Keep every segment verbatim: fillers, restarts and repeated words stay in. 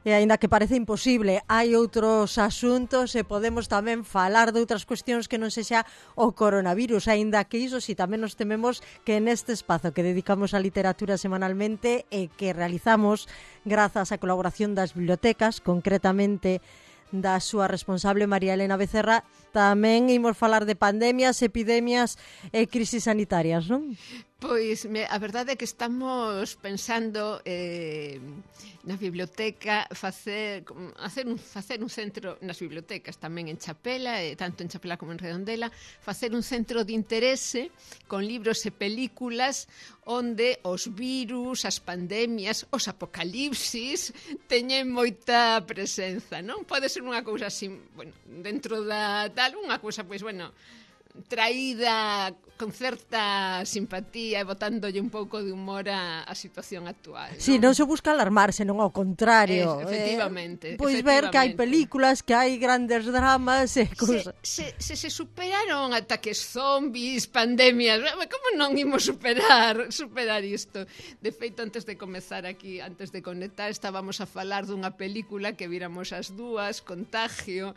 E aínda que parece imposible, hai outros asuntos e podemos tamén falar de outras cuestións que non sexa o coronavirus, aínda que iso si tamén nos tememos que neste espazo que dedicamos á literatura semanalmente e que realizamos grazas á colaboración das bibliotecas, concretamente da súa responsable María Elena Becerra, tamén imos falar de pandemias, epidemias e crisis sanitarias, non? Pois me, a verdade é que estamos pensando eh, na biblioteca facer, hacer un, facer un centro nas bibliotecas tamén en Chapela, eh, tanto en Chapela como en Redondela, facer un centro de interese con libros e películas onde os virus, as pandemias, os apocalipsis teñen moita presenza, non? Pode ser unha cousa así, bueno, dentro da tal, unha cousa, pois, bueno, traída con certa simpatía e botándolle un pouco de humor a, a situación actual, non? Si, non se busca alarmarse, non ao contrario. Es, efectivamente. Eh, pois efectivamente. ver que hai películas, que hai grandes dramas e cousas. Se, se, se, se superaron ataques zombies, pandemias, como non imos superar superar isto? De feito, antes de comezar aquí, antes de conectar, estábamos a falar dunha película que viramos as dúas, Contagio,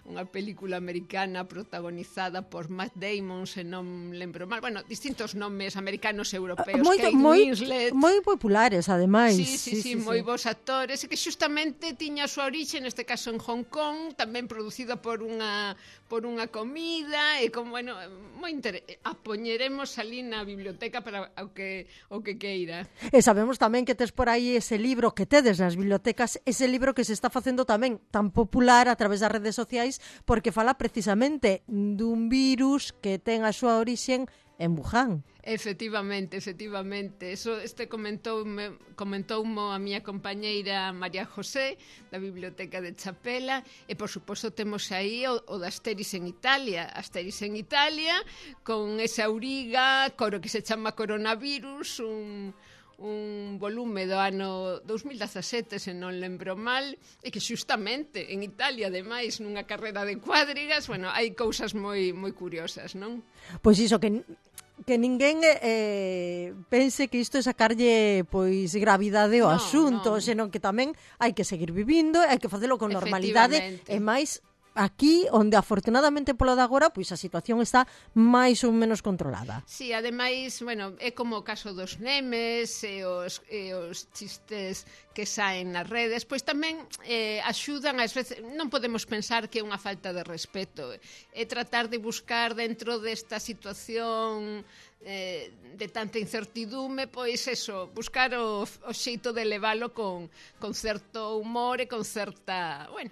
unha película americana protagonizada por Matt Damon, se non lembro mal, bueno, distintos nomes americanos e europeos, Moito, Kate moi, Winslet, moi populares, ademais. Sí, sí, sí, sí, sí, moi bons actores, e que xustamente tiña a súa orixe, neste caso en Hong Kong, tamén producida por unha por unha comida, e como, bueno, moi inter... a poñeremos ali na biblioteca para o que o que queira. E sabemos tamén que tes por aí ese libro que tedes nas bibliotecas, ese libro que se está facendo tamén tan popular a través das redes sociais, porque fala precisamente dun virus que ten a súa orixe en Wuhan. Efectivamente, efectivamente. Eso este comentou comentoumo a miña compañeira María José da Biblioteca de Chapela, e por suposto temos aí o, o da Asteris en Italia, Asteris en Italia con esa auriga, coro que se chama Coronavirus, un un volume do ano dous mil dezasete, se non lembro mal, e que xustamente en Italia, ademais, nunha carrera de cuadrigas, bueno, hai cousas moi moi curiosas, non? Pois iso, que que ninguén eh, pense que isto é sacarlle pois gravidade ao no, asunto, no. senón que tamén hai que seguir vivindo, hai que facelo con normalidade, e máis aquí, onde afortunadamente polo de agora, pois a situación está máis ou menos controlada. Sí, ademais, bueno, é como o caso dos memes e os, e os chistes que saen nas redes, pois tamén eh, axudan, ás veces, non podemos pensar que é unha falta de respeto, é tratar de buscar dentro desta situación eh, de tanta incertidume, pois eso, buscar o, o xeito de levalo con, con certo humor e con certa, bueno,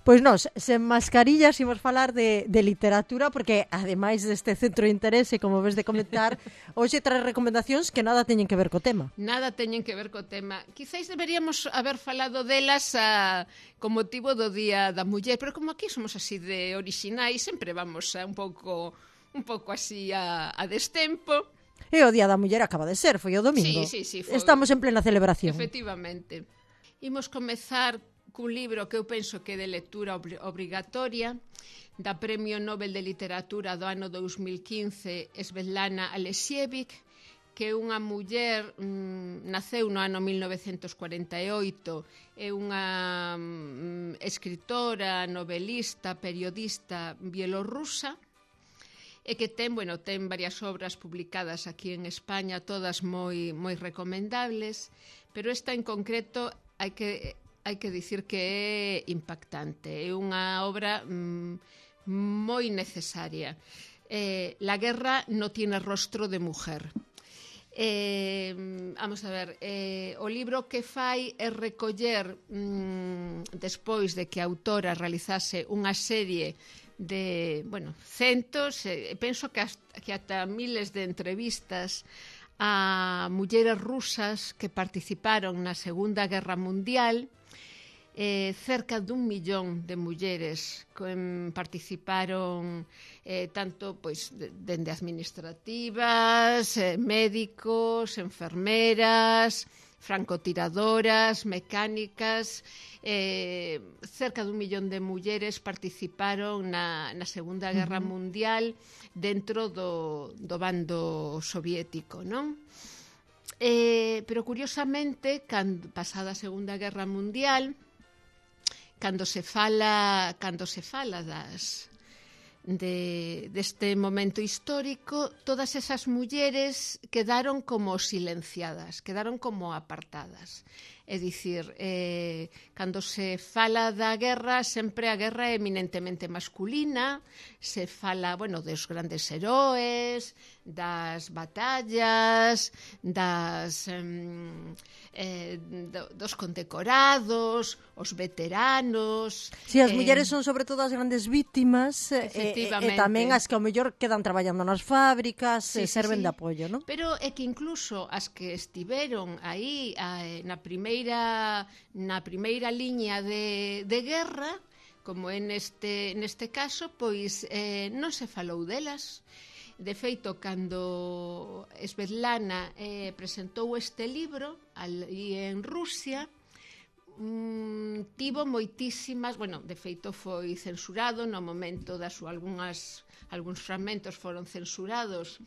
Pois nós, sen mascarillas, imos falar de, de literatura, porque ademais deste centro de interese, como ves de comentar, hoxe trae recomendacións que nada teñen que ver co tema. Nada teñen que ver co tema. Quizáis deberíamos haber falado delas a, con motivo do Día da Muller, pero como aquí somos así de orixinais, sempre vamos a un pouco un pouco así a, a destempo. E o Día da Muller acaba de ser, foi o domingo. Sí, sí, sí, foi. Estamos en plena celebración. Efectivamente. Imos comezar cun libro que eu penso que é de lectura ob- obrigatoria, da Premio Nobel de Literatura do ano dous mil quince, Svetlana Alexievich, que é unha muller, mmm, naceu no ano mil novecentos cuarenta e oito, é unha mmm, escritora, novelista, periodista bielorrusa, e que ten, bueno, ten varias obras publicadas aquí en España, todas moi moi recomendables, pero esta en concreto hai que hai que dicir que é impactante, é unha obra mmm, moi necesaria. Eh, la guerra no tiene rostro de mujer. Eh, vamos a ver, eh, o libro que fai é recoller, mmm, despois de que a autora realizase unha serie de, bueno, centos, eh, penso que, hasta, que ata miles de entrevistas a mulleres rusas que participaron na Segunda Guerra Mundial. Eh, cerca dun millón de mulleres que participaron eh, tanto pois dende administrativas, eh, médicos, enfermeras, francotiradoras, mecánicas, eh, cerca dun millón de mulleres participaron na, na Segunda Guerra uh-huh. Mundial dentro do, do bando soviético, non? eh, pero curiosamente, cando, pasada a Segunda Guerra Mundial, cando se fala, cando se fala das de, deste momento histórico, todas esas mulleres quedaron como silenciadas, quedaron como apartadas. É dicir, eh, cando se fala da guerra, sempre a guerra é eminentemente masculina, se fala, bueno, dos grandes heróes, das batallas, das, eh, do, dos condecorados, os veteranos... Si, as eh, mulleres son sobre todo as grandes víctimas, e, e, e tamén as que ao mellor quedan traballando nas fábricas, sí, e serven sí, sí. de apoio, non? Pero é que incluso as que estiveron aí a, na primeira na primeira liña de, de guerra, como é neste, neste caso, pois eh, non se falou delas. De feito, cando Svetlana eh, presentou este libro ali en Rusia, mm, tivo moitísimas, bueno, de feito foi censurado no momento das súas algunhas algúns fragmentos foron censurados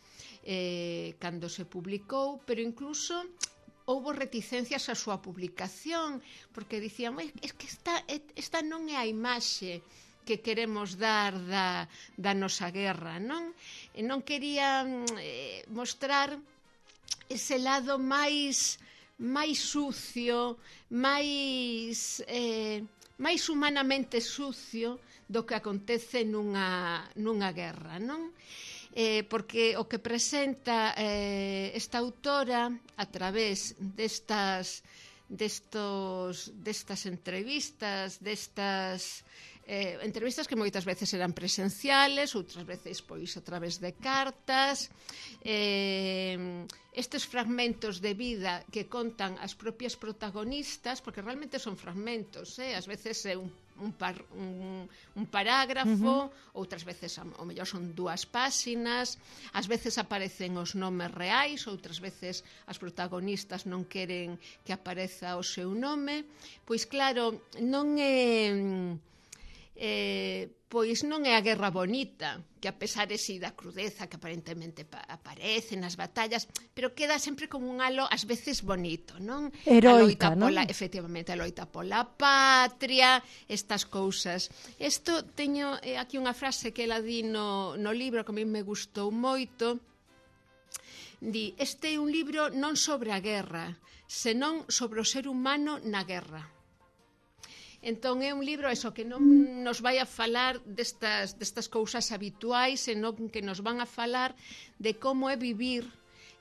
eh, cando se publicou, pero incluso houbo reticencias á súa publicación, porque dicían, es que esta, esta non é a imaxe que queremos dar da, da nosa guerra, non? E non querían eh, mostrar ese lado máis máis sucio, máis eh, máis humanamente sucio do que acontece nunha, nunha guerra, non? Eh, porque o que presenta eh, esta autora a través destas destos, destas entrevistas, destas eh, entrevistas que moitas veces eran presenciales, outras veces pois a través de cartas, eh, estes fragmentos de vida que contan as propias protagonistas, porque realmente son fragmentos, eh? Ás veces é un Un, par, un, un parágrafo, uh-huh. outras veces ao mellor son dúas páxinas, ás veces aparecen os nomes reais, outras veces as protagonistas non queren que apareza o seu nome. Pois claro, non é eh, pois non é a guerra bonita, que a pesar de si da crudeza que aparentemente aparece nas batallas, pero queda sempre como un halo ás veces bonito, non? Heroica, non? Pola, efectivamente, a loita pola patria, estas cousas. Isto teño eh, aquí unha frase que ela di no, no libro que a mí me gustou moito. Di, este é un libro non sobre a guerra, senón sobre o ser humano na guerra. Entón é un libro eso que non nos vai a falar destas, destas cousas habituais, senón que nos van a falar de como é vivir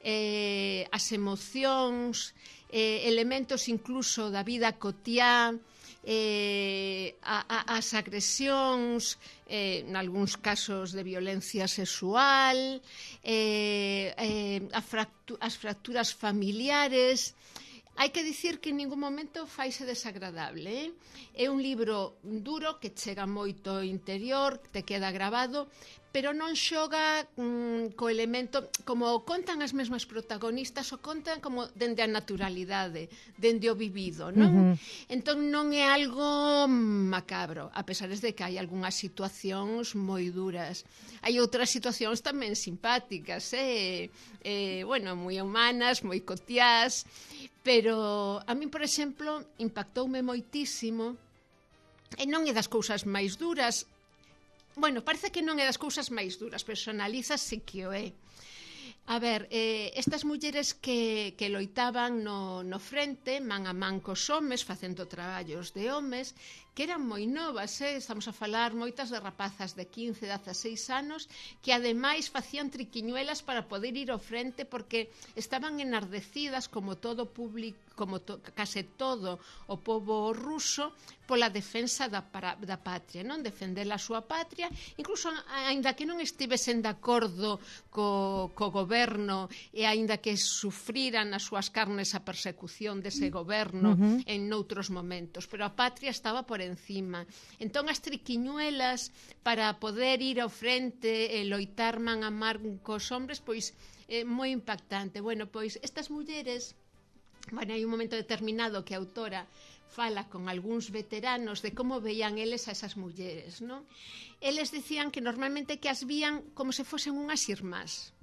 eh, as emocións, eh, elementos incluso da vida cotiá, eh, a, a, as agresións, eh, en algúns casos de violencia sexual, eh, eh, a fractu- as fracturas familiares. Hai que dicir que en ningún momento faise desagradable, eh? É un libro duro que chega moito ao interior, te queda grabado, pero non xoga mm, co elemento, como contan as mesmas protagonistas, o contan como dende a naturalidade, dende o vivido, non? Uh-huh. Entón non é algo macabro, a pesar de que hai algunhas situacións moi duras. Hai outras situacións tamén simpáticas, eh? eh bueno, moi humanas, moi cotiás, pero a min, por exemplo, impactoume moitísimo, e non é das cousas máis duras. Bueno, parece que non é das cousas máis duras, pero se analizas sí que o é. A ver, eh, estas mulleres que, que loitaban no, no frente, man a man cos homes, facendo traballos de homes, que eran moi novas, eh? Estamos a falar moitas de rapazas de quince, dezaseis anos, que ademais facían triquiñuelas para poder ir ao frente, porque estaban enardecidas como todo público, como to, case todo o pobo ruso, pola defensa da, para, da patria, non? Defender a súa patria, incluso aínda que non estivesen de acordo co, co goberno e aínda que sufriran as súas carnes a persecución dese goberno uh-huh. en noutros momentos, pero a patria estaba por encima. Entón as triquiñuelas para poder ir ao frente e loitar man a man cos hombres, pois é moi impactante. Bueno, pois estas mulleres, bueno, hai un momento determinado que a autora fala con algúns veteranos de como veían eles a esas mulleres, non? Eles decían que normalmente que as vían como se fosen unhas irmás.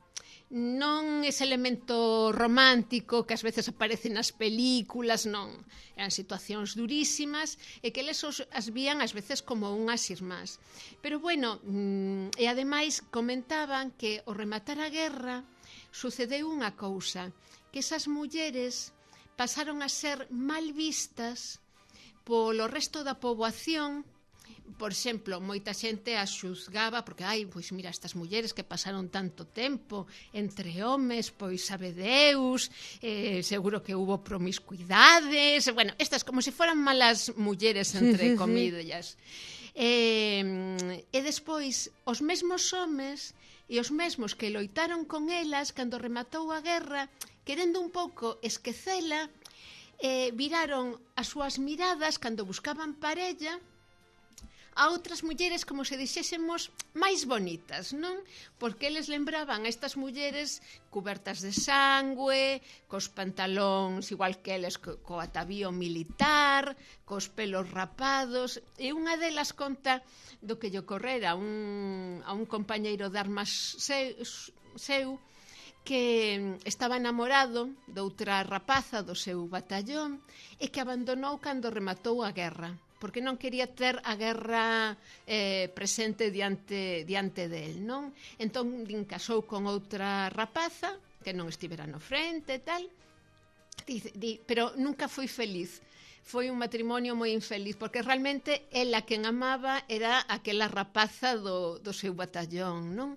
non ese elemento romántico que ás veces aparece nas películas, non. Eran situacións durísimas e que eles os, as vían ás veces como unhas irmás. Pero bueno, e ademais comentaban que ao rematar a guerra sucedeu unha cousa, que esas mulleres pasaron a ser mal vistas polo resto da poboación. Por exemplo, moita xente as xuzgaba porque, ai, pois mira, estas mulleres que pasaron tanto tempo entre homes, pois sabe Deus, eh, seguro que hubo promiscuidades, bueno, estas como se foran malas mulleres entre sí, sí, comillas. Sí. Eh, e despois, os mesmos homes e os mesmos que loitaron con elas cando rematou a guerra, querendo un pouco esquecela, eh, viraron as súas miradas cando buscaban parella a outras mulleres, como se dixésemos, máis bonitas, non? Porque eles lembraban a estas mulleres cubertas de sangue, cos pantalóns igual que eles, co, co atavío militar, cos pelos rapados, e unha delas conta do que lle ocorrera a un, a un compañeiro de armas seu, seu que estaba enamorado de outra rapaza do seu batallón e que abandonou cando rematou a guerra, porque non quería ter a guerra eh, presente diante, diante del, non? Entón, din, casou con outra rapaza, que non estivera no frente e tal, di, di, pero nunca foi feliz. Foi un matrimonio moi infeliz, porque realmente ela quen amaba era aquela rapaza do, do seu batallón, non?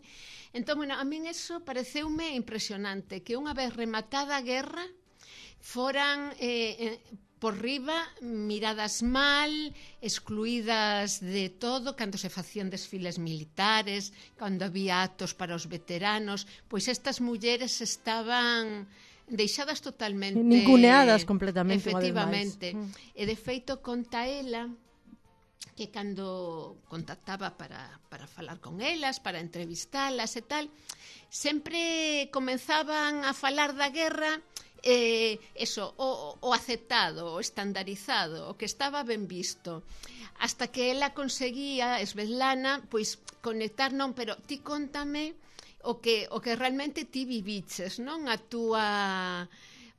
Entón, bueno, a min eso pareceume impresionante, que unha vez rematada a guerra, foran... Eh, eh, por riba, miradas mal, excluídas de todo, cando se facían desfiles militares, cando había actos para os veteranos, pois estas mulleres estaban deixadas totalmente... Ninguneadas completamente. Efectivamente. Mm. E de feito, conta ela que cando contactaba para, para falar con elas, para entrevistalas e tal, sempre comenzaban a falar da guerra... Eh, eso, o, o aceptado, o estandarizado, o que estaba ben visto, hasta que ela conseguía, Svetlana, pois conectar, non, pero ti contame o que, o que realmente ti viviches, non? A túa...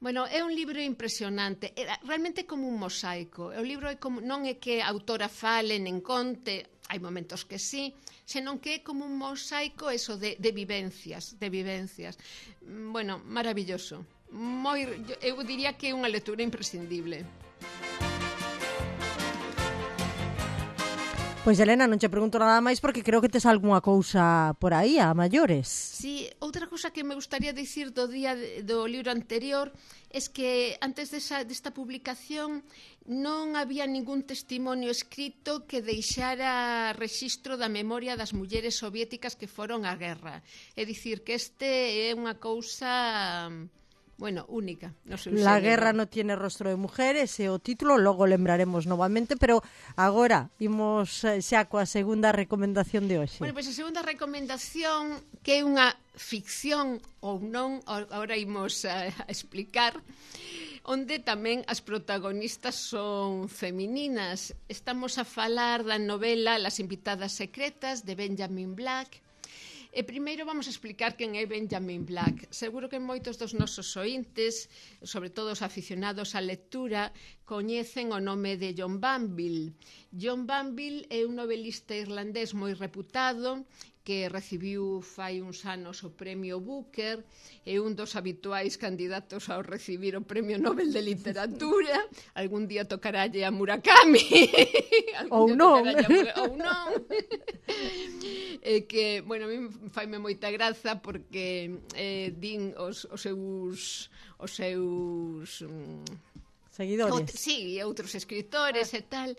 Bueno, é un libro impresionante, é realmente como un mosaico. O libro é como, non é que a autora fale nen conte, hai momentos que sí, senón que é como un mosaico eso de, de vivencias, de vivencias. Bueno, maravilloso. Moi, eu diría que é unha lectura imprescindible. Pois, Elena, non che pregunto nada máis porque creo que tes algunha cousa por aí a maiores. Sí, outra cousa que me gustaría dicir do día de, do libro anterior es que antes desa, desta publicación non había ningún testimonio escrito que deixara rexistro da memoria das mulleres soviéticas que foron á guerra. É dicir, que este é unha cousa... Bueno, única. No seu La xénero. guerra no tiene rostro de mujeres, é o título, logo lembraremos novamente, pero agora imos xa coa segunda recomendación de hoxe. Bueno, pois pues a segunda recomendación, que é unha ficción ou non, agora imos a, a explicar, onde tamén as protagonistas son femininas. Estamos a falar da novela Las invitadas secretas, de Benjamin Black. E primeiro vamos a explicar quen é Benjamin Black. Seguro que moitos dos nosos ointes, sobre todo os aficionados á lectura, coñecen o nome de John Banville. John Banville é un novelista irlandés moi reputado que recibiu fai uns anos o premio Booker, é un dos habituais candidatos ao recibir o premio Nobel de Literatura. Algún día tocarálle a Murakami. Ou non. Ou non. E que, bueno, a mí faime moita graza porque eh, din os, os seus os seus um, seguidores. O, sí, e outros escritores ah. e tal,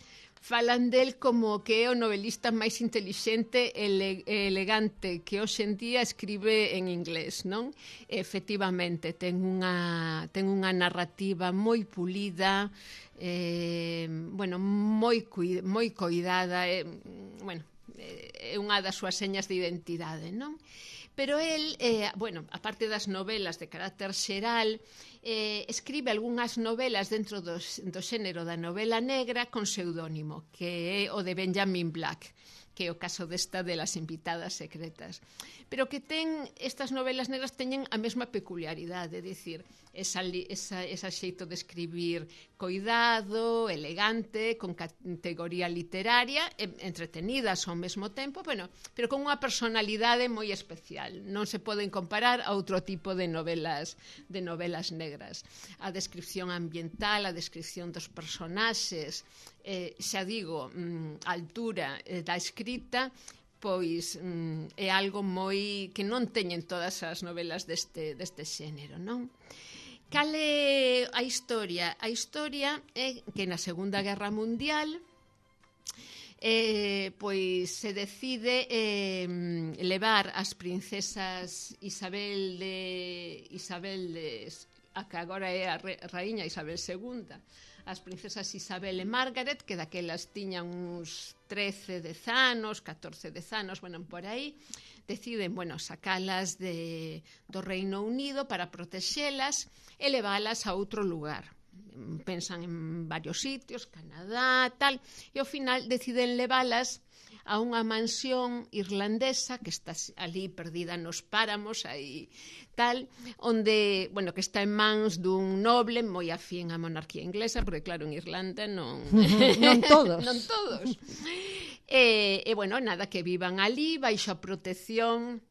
falan del como que é o novelista máis intelixente e ele, elegante que hoxe en día escribe en inglés, non? Efectivamente, ten unha ten unha narrativa moi pulida, eh, bueno, moi cuid, moi coidada, eh, bueno, é unha das súas señas de identidade, non? Pero el, eh, bueno, aparte das novelas de carácter xeral, eh, escribe algunhas novelas dentro dos, do xénero da novela negra con pseudónimo, que é o de Benjamin Black. que é o caso desta de Las invitadas secretas. Pero que ten, estas novelas negras teñen a mesma peculiaridade, é dicir, esa, esa, esa xeito de escribir coidado, elegante, con categoría literaria, entretenidas ao mesmo tempo, bueno, pero con unha personalidade moi especial. Non se poden comparar a outro tipo de novelas de novelas negras. A descripción ambiental, a descripción dos personaxes, eh, xa digo, a altura eh, da escrita, pois mm, é algo moi que non teñen todas as novelas deste, deste xénero, non? Cal é a historia? A historia é que na Segunda Guerra Mundial eh, pois se decide eh, levar as princesas Isabel de Isabel de a que agora é a re, raíña Isabel segunda, as princesas Isabel e Margaret, que daquelas tiñan uns trece, dez anos, catorce, dez anos, bueno, por aí, deciden, bueno, sacalas de, do Reino Unido para protexelas e leválas a outro lugar. Pensan en varios sitios, Canadá, tal, e ao final deciden leválas a unha mansión irlandesa que está ali perdida nos páramos, aí tal, onde, bueno, que está en mans dun noble moi afín á monarquía inglesa, porque claro, en Irlanda non non todos. non todos. E, e, bueno, nada, que vivan ali baixo a protección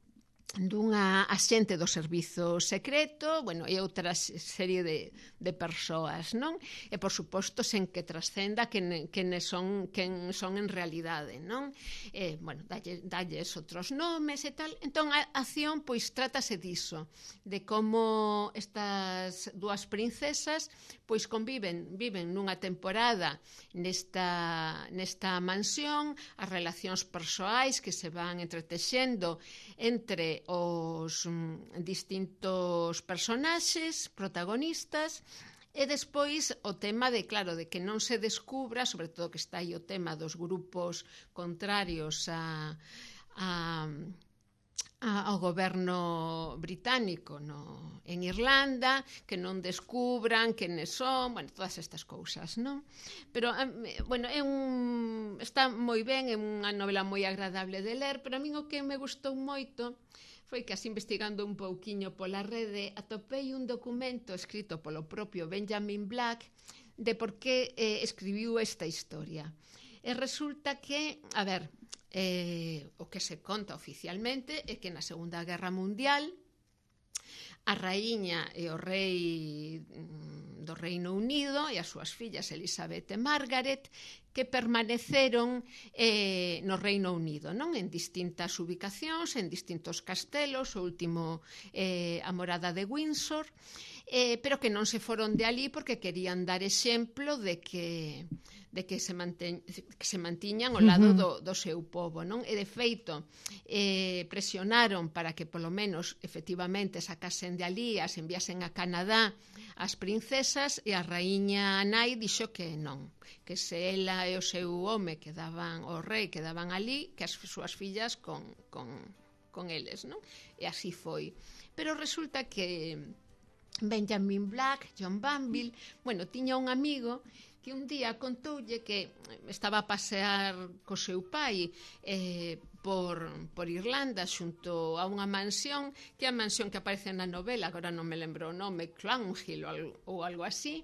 dunha axente do servizo secreto, bueno, e outra serie de, de persoas, non? E, por suposto, sen que trascenda quen, quen son, quen son en realidade, non? E, bueno, dalle, dalles outros nomes e tal. Entón, a acción, pois, trátase diso, de como estas dúas princesas, pois, conviven, viven nunha temporada nesta, nesta mansión, as relacións persoais que se van entretexendo entre os mm, distintos personaxes protagonistas e despois o tema de, claro, de que non se descubra, sobre todo que está aí o tema dos grupos contrarios a, a, a, ao goberno británico no, en Irlanda, que non descubran quenes son, bueno, todas estas cousas, non? Pero, bueno, é un, está moi ben, é unha novela moi agradable de ler, pero a min o que me gustou moito foi que, así investigando un pouquiño pola rede, atopei un documento escrito polo propio Benjamin Black de por que eh, escribiu esta historia. E resulta que, a ver, eh, o que se conta oficialmente é que na Segunda Guerra Mundial a raíña e o rei do Reino Unido e as súas fillas Elizabeth e Margaret que permaneceron eh, no Reino Unido, non? En distintas ubicacións, en distintos castelos, o último eh, a morada de Windsor, eh, pero que non se foron de ali porque querían dar exemplo de que de que se, manten, que se mantiñan ao lado do, do seu povo, non? E de feito eh, presionaron para que polo menos efectivamente sacasen de ali, as enviasen a Canadá as princesas, e a raíña nai dixo que non, que se ela e o seu home quedaban, o rei quedaban ali, que as súas fillas con, con, con eles, non? E así foi. Pero resulta que Benjamin Black, John Banville, bueno, tiña un amigo que un día contoulle que estaba a pasear co seu pai eh, por, por Irlanda xunto a unha mansión, que é a mansión que aparece na novela, agora non me lembro o nome, Clownhill ou, ou algo así,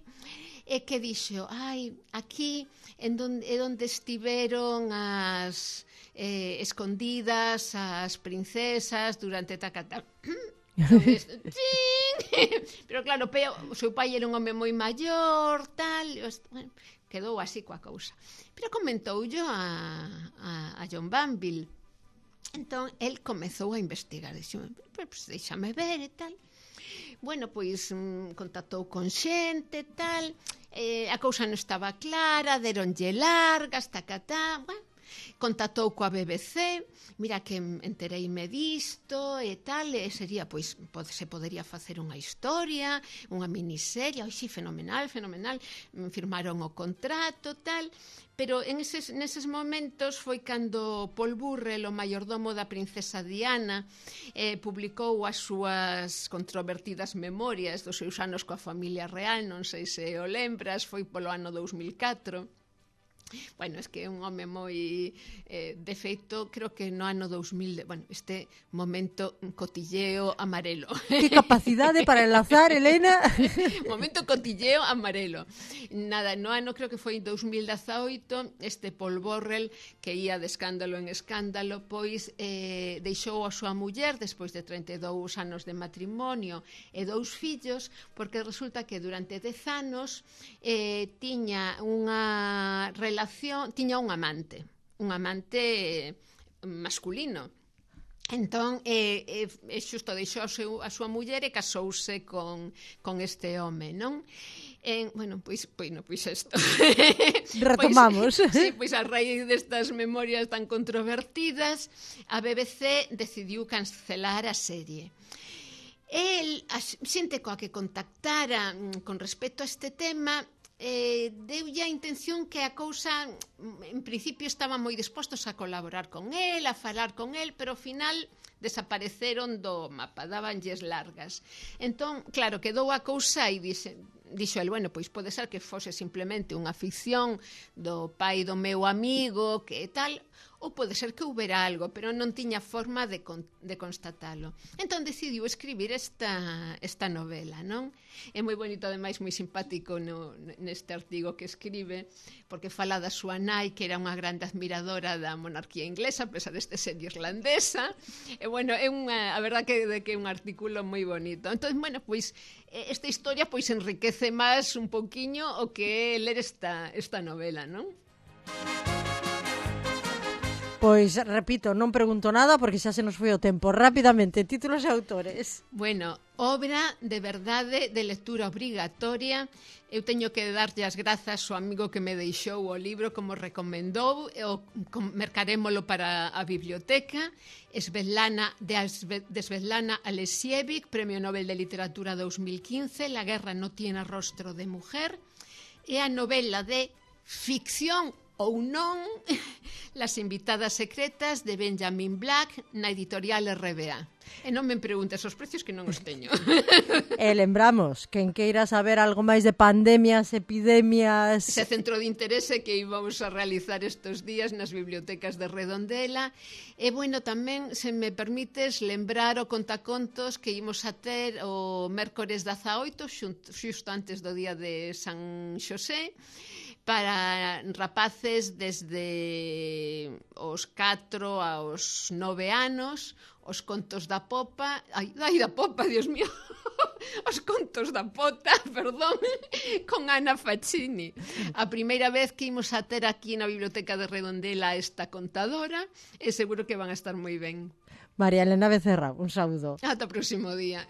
e que dixo, ai, aquí en donde, é onde estiveron as eh, escondidas as princesas durante tacata. Entonces, pero claro, o seu pai era un home moi maior, tal, bueno, quedou así coa cousa. Pero comentou yo a, a, a John Banville. Entón, el comezou a investigar, dixo, pues, déxame ver e tal. Bueno, pois mm, contactou con xente e tal, eh, a cousa non estaba clara, deronlle largas, tacatá, bueno, contactou coa B B C, mira que entereime disto e tal, e sería, pois, se podería facer unha historia, unha miniserie, oi, sí, fenomenal, fenomenal, firmaron o contrato, tal, pero en eses, neses momentos foi cando Paul Burrell, o maiordomo da princesa Diana, eh, publicou as súas controvertidas memorias dos seus anos coa familia real, non sei se o lembras, foi polo ano dous mil catro, Bueno, es que é un home moi... Eh, de feito, creo que no ano dous mil... De, bueno, este momento cotilleo amarelo. Que capacidade para enlazar, Elena. Momento cotilleo amarelo. Nada, no ano creo que foi dous mil dezaoito, este Paul Borrell, que ia de escándalo en escándalo, pois eh, deixou a súa muller despois de trinta e dous anos de matrimonio e dous fillos, porque resulta que durante dez anos eh, tiña unha relación, tiña un amante, un amante masculino. Entón, eh, eh, xusto deixou a, seu, a súa muller e casouse con, con este home, non? En, bueno, pois, pois, no, pois isto. Retomamos. Pois, sí, pois a raíz destas memorias tan controvertidas, a B B C decidiu cancelar a serie. El, a xente coa que contactara con respecto a este tema, eh, deulle a intención que a cousa en principio estaban moi dispostos a colaborar con el, a falar con el, pero ao final desapareceron do mapa, dabanlles largas. Entón, claro, quedou a cousa e dixe, dixo el, bueno, pois pode ser que fose simplemente unha ficción do pai do meu amigo, que tal, ou pode ser que houbera algo, pero non tiña forma de, con, de constatalo. Entón decidiu escribir esta, esta novela, non? É moi bonito, ademais, moi simpático no, neste artigo que escribe, porque fala da súa nai, que era unha grande admiradora da monarquía inglesa, a pesar deste ser irlandesa. E, bueno, é unha, a verdad que, de que é un artículo moi bonito. Entón, bueno, pois, esta historia pois enriquece máis un pouquiño o que é ler esta, esta novela, non? Pois, repito, non pregunto nada porque xa se nos foi o tempo. Rápidamente, títulos e autores. Bueno, obra de verdade de lectura obrigatoria. Eu teño que darlle as grazas ao amigo que me deixou o libro como recomendou, e o mercarémolo para a biblioteca. Svetlana, de, de Svetlana Alexievich, Premio Nobel de Literatura dous mil quince, La guerra no tiene rostro de mujer. E a novela de ficción ou non, Las invitadas secretas, de Benjamin Black, na editorial R B A. E non me preguntes os precios, que non os teño. E lembramos, quen queira saber algo máis de pandemias, epidemias... Ese centro de interese que íbamos a realizar estes días nas bibliotecas de Redondela. E, bueno, tamén, se me permites, lembrar o contacontos que ímos a ter o mércores dezaoito, xusto antes do día de San Xosé, para rapaces desde os catro aos nove anos, os contos da popa, ai, ai da popa, Dios mío, os contos da pota, perdón, con Ana Faccini. A primeira vez que imos a ter aquí na Biblioteca de Redondela esta contadora, e seguro que van a estar moi ben. María Elena Becerra, un saúdo. Ata o próximo día.